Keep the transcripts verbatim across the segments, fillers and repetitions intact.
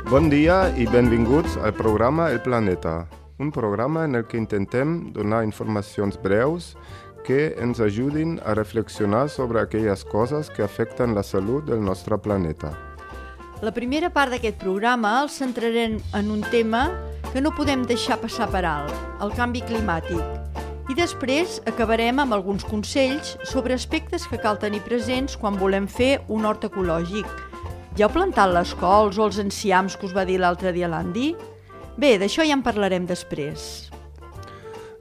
Bon dia i benvinguts al programa El Planeta, un programa en el que intentem donar informacions breus que ens ajudin a reflexionar sobre aquelles coses que afecten la salut del nostre planeta. La primera part d'aquest programa el centrarem en un tema que no podem deixar passar per alt, el canvi climàtic. I després acabarem amb alguns consells sobre aspectes que cal tenir presents quan volem fer un hort ecològic. Ja heu plantat les cols o els enciams que us va dir l'altre dia l'Andy? Bé, d'això ja en parlarem després.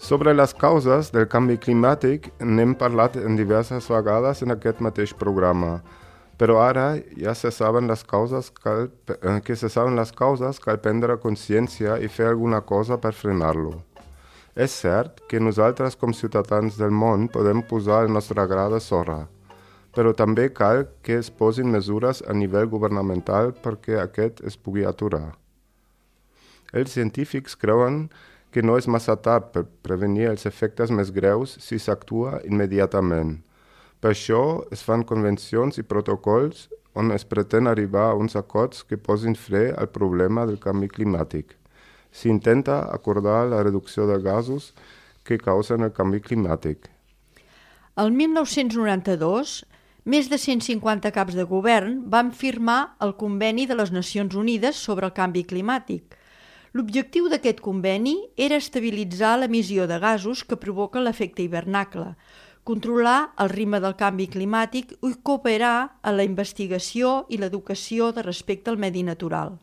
Sobre les causes del canvi climàtic n'hem parlat en diverses vegades en aquest mateix programa, però ara ja se saben les causes, cal, que se saben les causes, cal prendre consciència i fer alguna cosa per frenar-lo. És cert que nosaltres com ciutadans del món podem posar el nostre gra de sorra, però també cal que es posin mesures a nivell governamental perquè aquest es pugui aturar. Els científics creuen que no és massa tard per prevenir els efectes més greus si s'actua immediatament. Per això es fan convencions i protocols on es pretén arribar a uns acords que posin fre al problema del canvi climàtic. S'intenta acordar la reducció de gasos que causen el canvi climàtic. El mil nou-cents noranta-dos, més de cent cinquanta caps de govern van firmar el Conveni de les Nacions Unides sobre el canvi climàtic. L'objectiu d'aquest conveni era estabilitzar l'emissió de gasos que provoquen l'efecte hivernacle, controlar el ritme del canvi climàtic i cooperar a la investigació i l'educació de respecte al medi natural.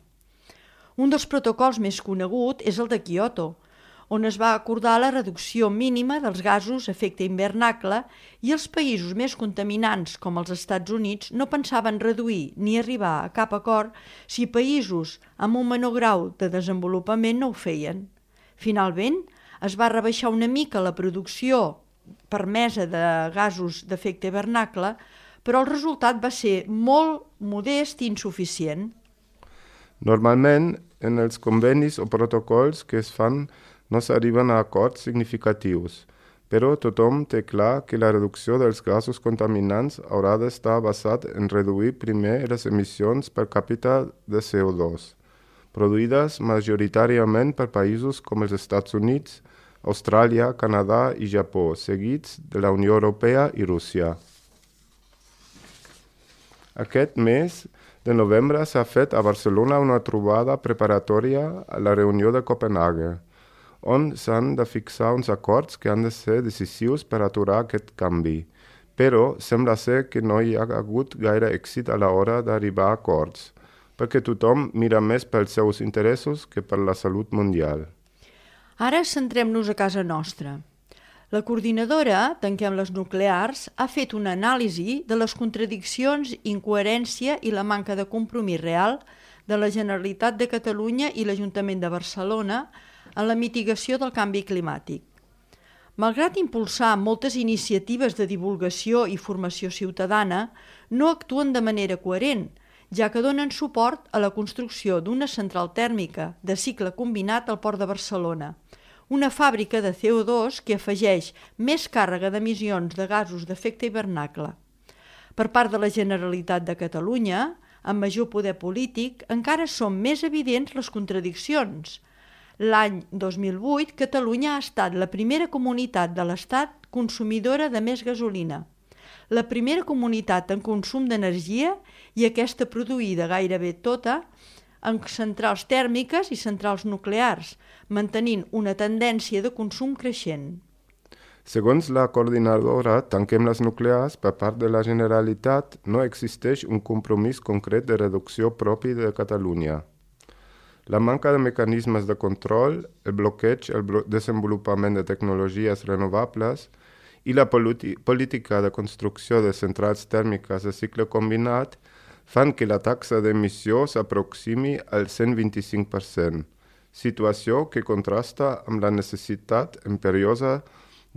Un dels protocols més conegut és el de Kyoto, on es va acordar la reducció mínima dels gasos efecte hivernacle i els països més contaminants, com els Estats Units, no pensaven reduir ni arribar a cap acord si països amb un menor grau de desenvolupament no ho feien. Finalment, es va rebaixar una mica la producció permesa de gasos d'efecte hivernacle, però el resultat va ser molt modest i insuficient. Normalment, en els convenis o protocols que es fan no s'arriben a acords significatius, però tothom té clar que la reducció dels gasos contaminants haurà d'estar basat en reduir primer les emissions per càpita de C O dos, produïdes majoritàriament per països com els Estats Units, Austràlia, Canadà i Japó, seguits de la Unió Europea i Rússia. Aquest mes de novembre s'ha fet a Barcelona una trobada preparatòria a la reunió de Copenhague, on s'han de fixar uns acords que han de ser decisius per aturar aquest canvi. Però sembla ser que no hi ha hagut gaire èxit a l'hora d'arribar a acords, perquè tothom mira més pels seus interessos que per la salut mundial. Ara centrem-nos a casa nostra. La coordinadora Tanquem les Nuclears ha fet una anàlisi de les contradiccions, incoherència i la manca de compromís real de la Generalitat de Catalunya i l'Ajuntament de Barcelona en la mitigació del canvi climàtic. Malgrat impulsar moltes iniciatives de divulgació i formació ciutadana, no actuen de manera coherent, ja que donen suport a la construcció d'una central tèrmica de cicle combinat al Port de Barcelona, una fàbrica de C O dos que afegeix més càrrega d'emissions de gasos d'efecte hivernacle. Per part de la Generalitat de Catalunya, amb major poder polític, encara són més evidents les contradiccions. L'any dos mil vuit, Catalunya ha estat la primera comunitat de l'Estat consumidora de més gasolina, la primera comunitat en consum d'energia i aquesta produïda gairebé tota en centrals tèrmiques i centrals nuclears, mantenint una tendència de consum creixent. Segons la coordinadora Tanquem les Nuclears, per part de la Generalitat no existeix un compromís concret de reducció propi de Catalunya. La manca de mecanismes de control, el bloqueig al blo- desenvolupament de tecnologies renovables i la política de construcció de centrals tèrmiques de cicle combinat fan que la taxa d'emissió s'aproximi al cent vint-i-cinc per cent, situació que contrasta amb la necessitat imperiosa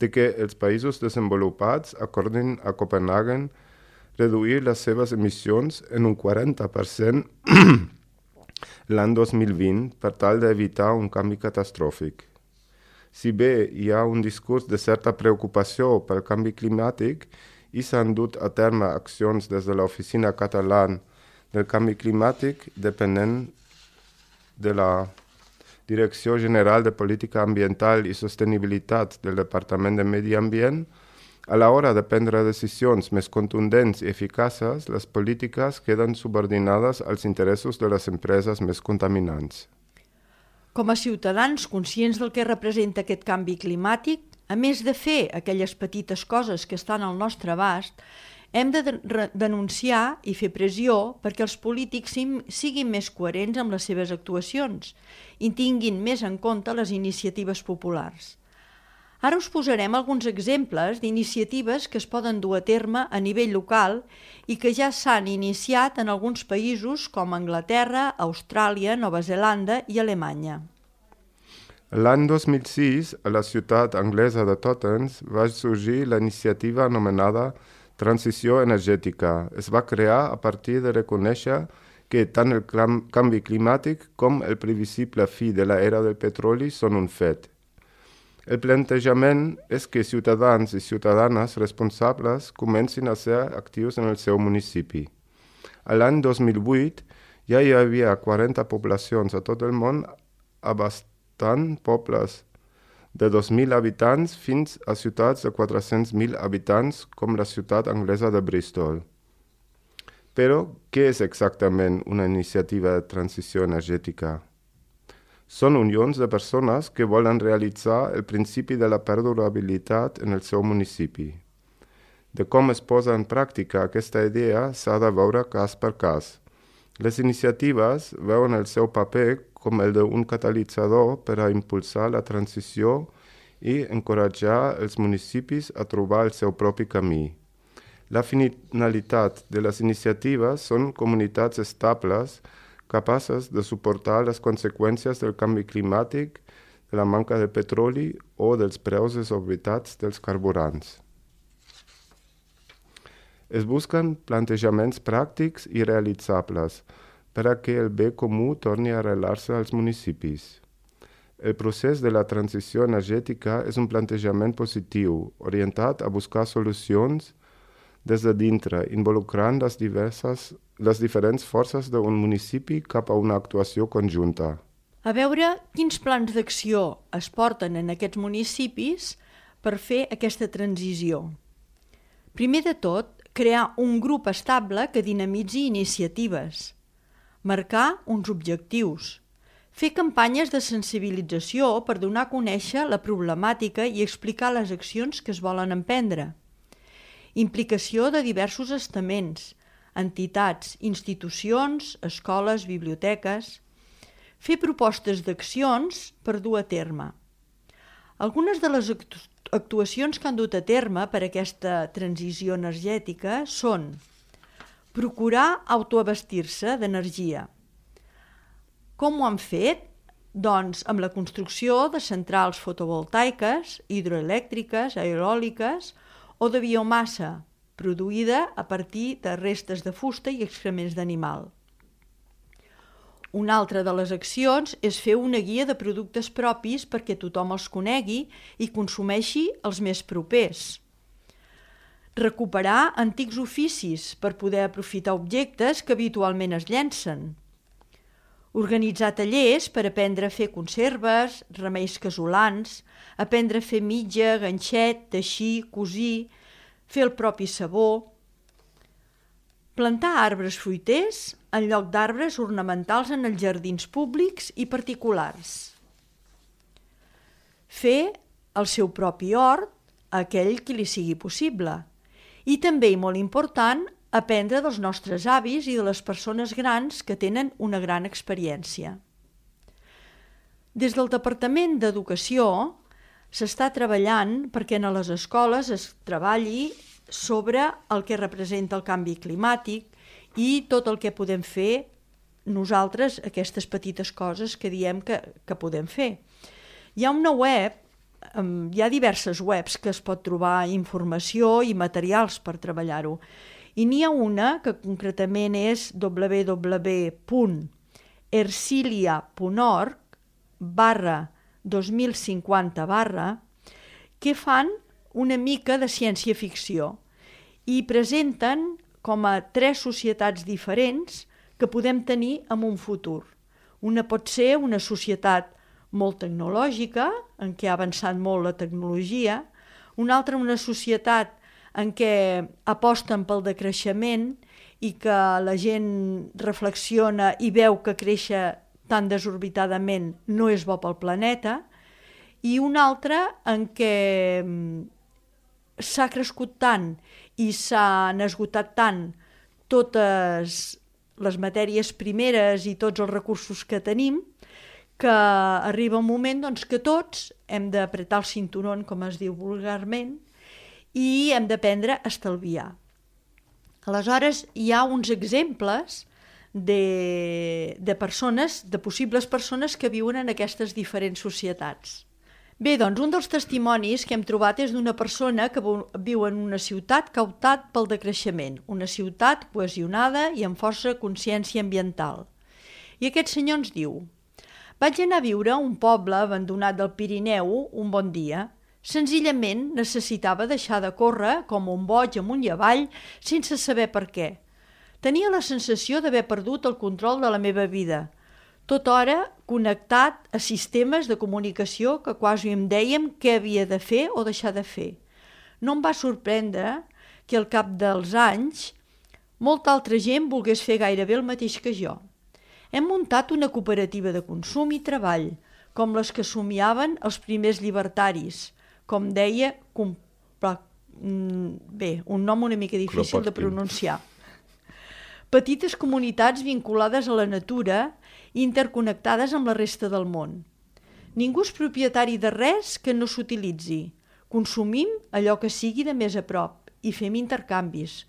de que els països desenvolupats acordin a Copenhagen reduir les seves emissions en un quaranta per cent l'any dos mil vint per tal d'evitar un canvi catastròfic. Si bé hi ha un discurs de certa preocupació pel canvi climàtic i s'han dut a terme accions des de l'Oficina Catalana del Canvi Climàtic depenent de la Direcció General de Política Ambiental i Sostenibilitat del Departament de Medi Ambient, a l'hora de prendre decisions més contundents i eficaces, les polítiques queden subordinades als interessos de les empreses més contaminants. Com a ciutadans conscients del que representa aquest canvi climàtic, a més de fer aquelles petites coses que estan al nostre abast, hem de denunciar i fer pressió perquè els polítics siguin més coherents amb les seves actuacions i tinguin més en compte les iniciatives populars. Ara us posarem alguns exemples d'iniciatives que es poden dur a terme a nivell local i que ja s'han iniciat en alguns països com Anglaterra, Austràlia, Nova Zelanda i Alemanya. L'any dos mil sis, a la ciutat anglesa de Totnes, va sorgir la iniciativa anomenada Transició energètica. Es va crear a partir de reconèixer que tant el canvi climàtic com el previsible fi de l'era del petroli són un fet. El plantejament és que ciutadans i ciutadanes responsables comencin a ser actius en el seu municipi. A l'any dos mil vuit ja hi havia quaranta poblacions a tot el món abastant pobles de dos mil habitants fins a ciutats de quatre-cents mil habitants com la ciutat anglesa de Bristol. Però, què és exactament una iniciativa de transició energètica? Són unions de persones que volen realitzar el principi de la perdurabilitat en el seu municipi. De com es posa en pràctica aquesta idea s'ha de veure cas per cas. Les iniciatives veuen el seu paper com el d'un catalitzador per a impulsar la transició i encoratjar els municipis a trobar el seu propi camí. La finalitat de les iniciatives són comunitats estables capaces de suportar les conseqüències del canvi climàtic, de la manca de petroli o dels preus desorbitats dels carburants. Es busquen plantejaments pràctics i realitzables per a que el bé comú torni a arrelar-se als municipis. El procés de la transició energètica és un plantejament positiu, orientat a buscar solucions des de dintre, involucrant les, diverses, les diferents forces d'un municipi cap a una actuació conjunta. A veure quins plans d'acció es porten en aquests municipis per fer aquesta transició. Primer de tot, crear un grup estable que dinamitzi iniciatives, marcar uns objectius, fer campanyes de sensibilització per donar a conèixer la problemàtica i explicar les accions que es volen emprendre, implicació de diversos estaments, entitats, institucions, escoles, biblioteques, fer propostes d'accions per dur a terme. Algunes de les actuacions que han dut a terme per a aquesta transició energètica són procurar autoabastir-se d'energia. Com ho han fet? Doncs amb la construcció de centrals fotovoltaiques, hidroelèctriques, eòliques o de biomassa, produïda a partir de restes de fusta i excrements d'animal. Una altra de les accions és fer una guia de productes propis perquè tothom els conegui i consumeixi els més propers. Recuperar antics oficis per poder aprofitar objectes que habitualment es llencen. Organitzar tallers per aprendre a fer conserves, remeis casolans, aprendre a fer mitja, ganxet, teixir, cosir, fer el propi sabó. Plantar arbres fruiters en lloc d'arbres ornamentals en els jardins públics i particulars. Fer el seu propi hort a aquell qui li sigui possible. I també, i molt important, aprendre dels nostres avis i de les persones grans que tenen una gran experiència. Des del Departament d'Educació s'està treballant perquè a les escoles es treballi sobre el que representa el canvi climàtic i tot el que podem fer nosaltres, aquestes petites coses que diem que, que podem fer. Hi ha una web, hi ha diverses webs que es pot trobar informació i materials per treballar-ho. I n'hi ha una que concretament és w w w punt ercilia punt org barra dos mil cinquanta barra que fan una mica de ciència-ficció i presenten com a tres societats diferents que podem tenir en un futur. Una pot ser una societat molt tecnològica, en què ha avançat molt la tecnologia, una altra una societat en què aposten pel decreixement i que la gent reflexiona i veu que créixer tan desorbitadament no és bo pel planeta, i una altra en què s'ha crescut tant i s'han esgotat tant totes les matèries primeres i tots els recursos que tenim, que arriba un moment doncs, que tots hem d'apretar el cinturón, com es diu vulgarment, i hem d'aprendre a estalviar. Aleshores, hi ha uns exemples de, de persones, de possibles persones que viuen en aquestes diferents societats. Bé, doncs un dels testimonis que hem trobat és d'una persona que viu en una ciutat que ha optat pel decreixement, una ciutat cohesionada i amb força consciència ambiental. I aquest senyor ens diu: vaig anar a viure a un poble abandonat del Pirineu un bon dia. Senzillament necessitava deixar de córrer com un boig amunt i avall sense saber per què. Tenia la sensació d'haver perdut el control de la meva vida, tota hora connectat a sistemes de comunicació que quasi em dèiem què havia de fer o deixar de fer. No em va sorprendre que al cap dels anys molta altra gent volgués fer gairebé el mateix que jo. Hem muntat una cooperativa de consum i treball, com les que somiaven els primers llibertaris, com deia, bé, un nom una mica difícil de pronunciar. Petites comunitats vinculades a la natura i interconnectades amb la resta del món. Ningú és propietari de res que no s'utilitzi. Consumim allò que sigui de més a prop i fem intercanvis.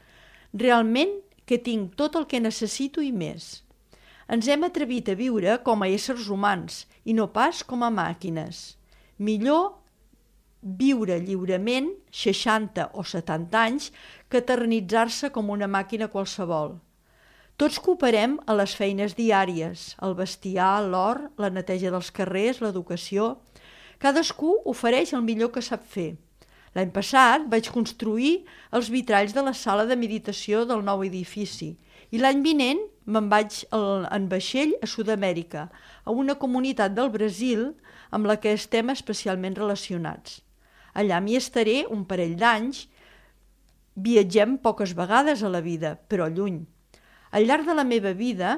Realment que tinc tot el que necessito i més. Ens hem atrevit a viure com a éssers humans i no pas com a màquines. Millor viure lliurement seixanta o setanta anys que eternitzar-se com una màquina qualsevol. Tots cooperem a les feines diàries, el bestiar, l'hort, la neteja dels carrers, l'educació. Cadascú ofereix el millor que sap fer. L'any passat vaig construir els vitralls de la sala de meditació del nou edifici i l'any vinent me'n vaig en vaixell a Sud-amèrica, a una comunitat del Brasil amb la que estem especialment relacionats. Allà m'hi estaré un parell d'anys. Viatgem poques vegades a la vida, però lluny. Al llarg de la meva vida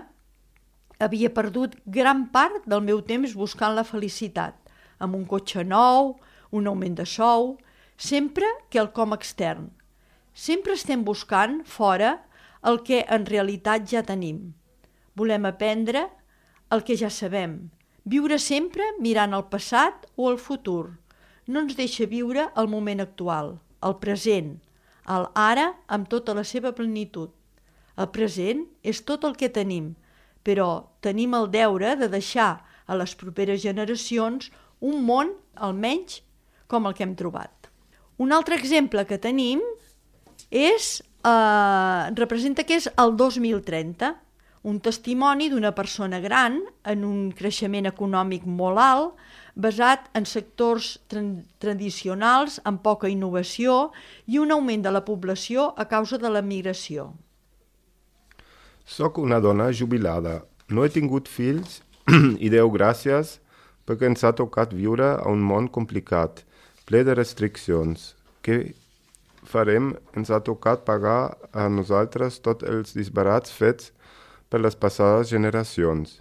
havia perdut gran part del meu temps buscant la felicitat, amb un cotxe nou, un augment de sou, sempre quelcom extern. Sempre estem buscant fora el que en realitat ja tenim. Volem aprendre el que ja sabem, viure sempre mirant al passat o al futur. No ens deixa viure el moment actual, el present, el ara amb tota la seva plenitud. El present és tot el que tenim, però tenim el deure de deixar a les properes generacions un món, almenys, com el que hem trobat. Un altre exemple que tenim és, eh, representa que és el dos mil trenta, un testimoni d'una persona gran en un creixement econòmic molt alt, basat en sectors tra- tradicionals amb poca innovació i un augment de la població a causa de la migració. Soc una dona jubilada. No he tingut fills i Déu gràcies perquè ens ha tocat viure a un món complicat, ple de restriccions. Què farem? Ens ha tocat pagar a nosaltres tots els disbarats fets per les passades generacions.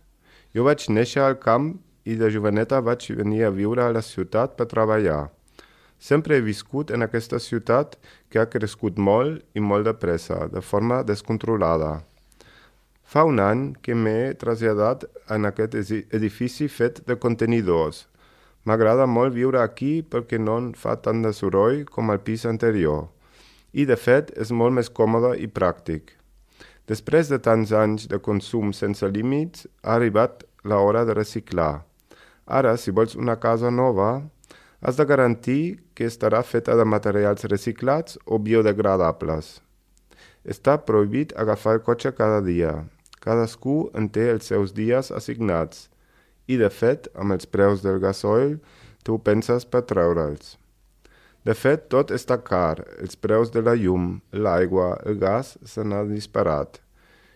Jo vaig néixer al camp i de joveneta vaig venir a viure a la ciutat per treballar. Sempre he viscut en aquesta ciutat que ha crescut molt i molt de pressa, de forma descontrolada. Fa un any que m'he traslladat en aquest edifici fet de contenidors. M'agrada molt viure aquí perquè no en fa tant de soroll com al pis anterior. I, de fet, és molt més còmode i pràctic. Després de tants anys de consum sense límits, ha arribat l'hora de reciclar. Ara, si vols una casa nova, has de garantir que estarà feta de materials reciclats o biodegradables. Està prohibit agafar el cotxe cada dia. Cadascú en té els seus dies assignats. I, de fet, amb els preus del gasoil, tu penses per treure'ls. De fet, tot està car. Els preus de la llum, l'aigua, el gas se n'han disparat.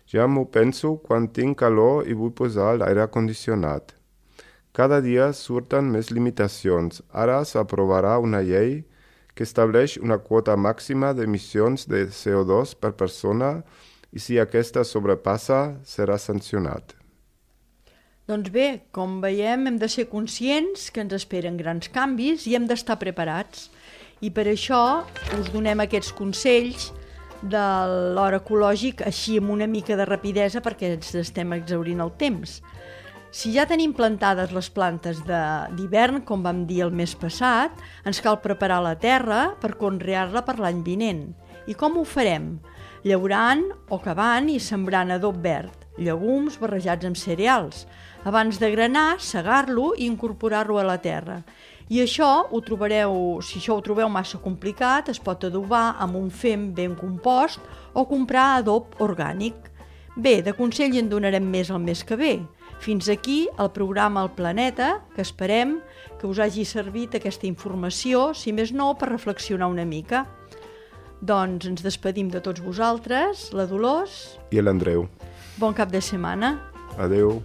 Ja m'ho penso quan tinc calor i vull posar l'aire condicionat. Cada dia surten més limitacions. Ara s'aprovarà una llei que estableix una quota màxima d'emissions de C O dos per persona i si aquesta sobrepassa serà sancionat. Doncs bé, com veiem, hem de ser conscients que ens esperen grans canvis i hem d'estar preparats. I per això us donem aquests consells de l'hora ecològic així amb una mica de rapidesa perquè ens estem exhaurint el temps. Si ja tenim plantades les plantes d'hivern, com vam dir el mes passat, ens cal preparar la terra per conrear-la per l'any vinent. I com ho farem? Llaurant o cavant i sembrant adob verd, llegums barrejats amb cereals. Abans de granar, segar-lo i incorporar-lo a la terra. I això ho trobareu, si això ho trobeu massa complicat, es pot adobar amb un fem ben compost o comprar adob orgànic. Bé, de consell en donarem més el mes que ve. Fins aquí el programa El Planeta, que esperem que us hagi servit aquesta informació, si més no, per reflexionar una mica. Doncs ens despedim de tots vosaltres, la Dolors I l'Andreu. Bon cap de setmana. Adeu.